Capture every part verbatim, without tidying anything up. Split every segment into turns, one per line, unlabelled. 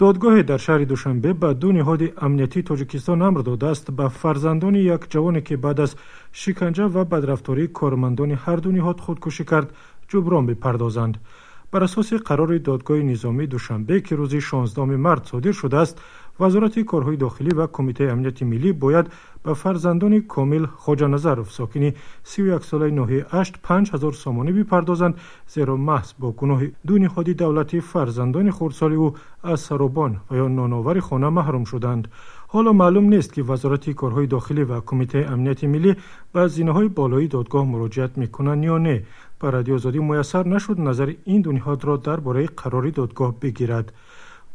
Додгоҳе дар шаҳри Душанбе ба ду ниҳоди амниятии Тоҷикистон амр додааст ба фарзандони як ҷавоне, ки баъд аз шиканҷа ва бадрафтории кормандони ҳар ду ниҳод худкушӣ кард, ҷуброн бипардозанд. Бар асоси қарори додгоҳи низомии Душанбе, ки рӯзи шонздаҳуми март содир шудааст, Вазорати корҳои дохилӣ ва Кумитаи амнияти миллӣ бояд ба фарзандони Комил Хоҷаназаров, сокини сию яксолаи ноҳияи Ашт, панҷ ҳазор сомонӣ бипардозанд, зеро маҳз бо гуноҳи ду ниҳоди давлатӣ фарзандони хурдсоли ӯ аз саробон ва ё ноновари хона маҳрум шуданд. Ҳоло маълум нест, ки Вазорати корҳои дохилӣ ва Кумитаи амнияти миллӣ ба зинаҳои болоии додгоҳ муроҷиат мекунанд ё не. Ба Радиои Озодӣ муяссар нашуд назари ин ду ниҳодро дар бораи қарори додгоҳ бигирад.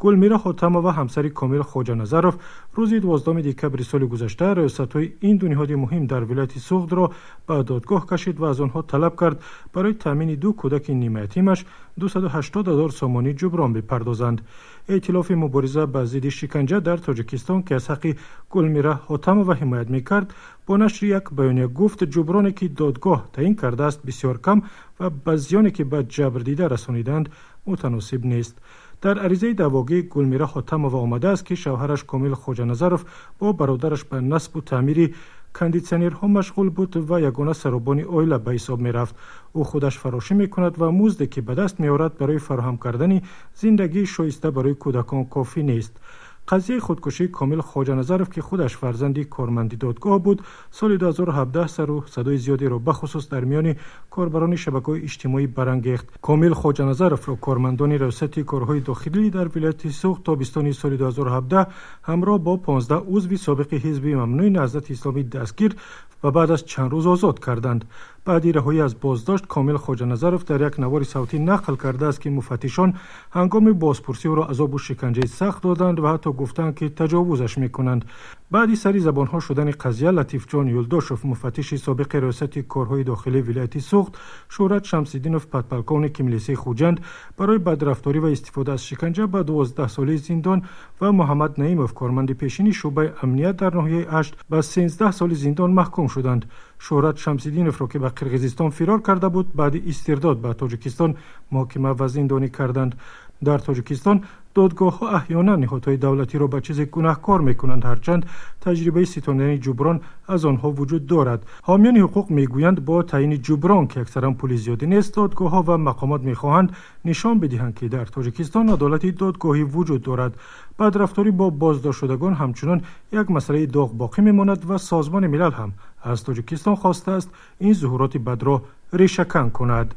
Гулмира Хотамова, ҳамсари Комил Хоҷаназаров, рӯзи дувоздаҳуми декабри соли гузашта раёсатҳои ин ду ниҳоди муҳим дар вилояти Суғдро ба додгоҳ кашид ва аз онҳо талаб кард барои таъмини ду кӯдаки нимаятимаш дусаду ҳаштод ҳазор сомонӣ ҷуброн бипардозанд. Эътилофи мубориза ба зидди шиканҷа дар Тоҷикистон, ки аз ҳаққи Гулмира Хотамова ҳимоят мекард, бо нашри як баёния гуфт ҷуброне, ки додгоҳ таъин кардааст, бисёр кам ва ба зиёне, ки ба ҷабрдида расониданд, мутаносиб нест. Дар аризаи даъвогӣ Гулмира Хотамова омадааст, ки шавҳараш Комил Хоҷаназаров бо бародараш ба насбу таъмири кондитсионерҳо машғул буд ва ягона саробони оила ба ҳисоб мерафт. Ӯ худаш фарошӣ мекунад ва музде, ки ба даст меорад, барои фароҳам кардани зиндагии шоиста барои кӯдакон кофӣ нест. Қазияи худкушии Комил Хоҷаназаров, ки худаш фарзанди корманди додгоҳ буд, соли ду ҳазору ҳабдаҳ сару садои зиёдеро бахусус дар миёни корбарони шабакаҳои иҷтимоӣ барангехт. Комил Хоҷаназаровро кормандони раёсати корҳои дохилӣ дар вилояти Суғд тобистони соли ду ҳазору ҳабдаҳ ҳамроҳ бо понздаҳ узви собиқи ҳизби мамнӯи Наҳзати Исломӣ дастгир ва баъд аз чанд рӯз озод карданд. Баъди раҳоӣ аз боздошт Комил Хоҷаназаров дар як навори савтӣ нақл кардааст, ки муфаттишон ҳангоми бозпурсӣ ӯро азобу шиканҷаи сахт доданд ва ҳатто гуфтанд, ки таҷовузаш мекунанд. Баъди сари забонҳо шудани қазия, Латифҷон Юлдошев, муфаттиши собиқи раёсати корҳои дохилии вилояти Суғд, Шӯҳрат Шамсиддинов, подполковники милисияи Хуҷанд барои бадрафторӣ ва истифода аз шиканҷа ба дувоздаҳ соли зиндон ва Муҳаммад Наимов, корманди пешини шӯъбаи амният дар ноҳияи Ашт, ба сенздаҳ соли зиндон маҳкум шуданд. Шӯҳрат Шамсиддиновро, ки ба Қирғизистон фирор карда буд, баъди истирдод ба Тоҷикистон муҳокима ва зиндонӣ карданд. Дар Тоҷикистон додгоҳҳо аҳёнан ниҳодҳои давлатиро ба чизе гунаҳкор мекунанд, ҳарчанд таҷрибаи ситонидани ҷуброн аз онҳо вуҷуд дорад. Ҳомиёни ҳуқуқ мегӯянд бо таъйини ҷуброн, ки аксаран пули зиёдӣ нест, додгоҳҳо ва мақомот мехоҳанд нишон бидиҳанд, ки дар Тоҷикистон адолати додгоҳӣ вуҷуд дорад. Бадрафторӣ бо боздоштшудагон ҳамчунон як масъалаи доғ боқӣ мемонад ва Созмони Милал ҳам аз Тоҷикистон хостааст ин зуҳуроти бадро решакан кунад.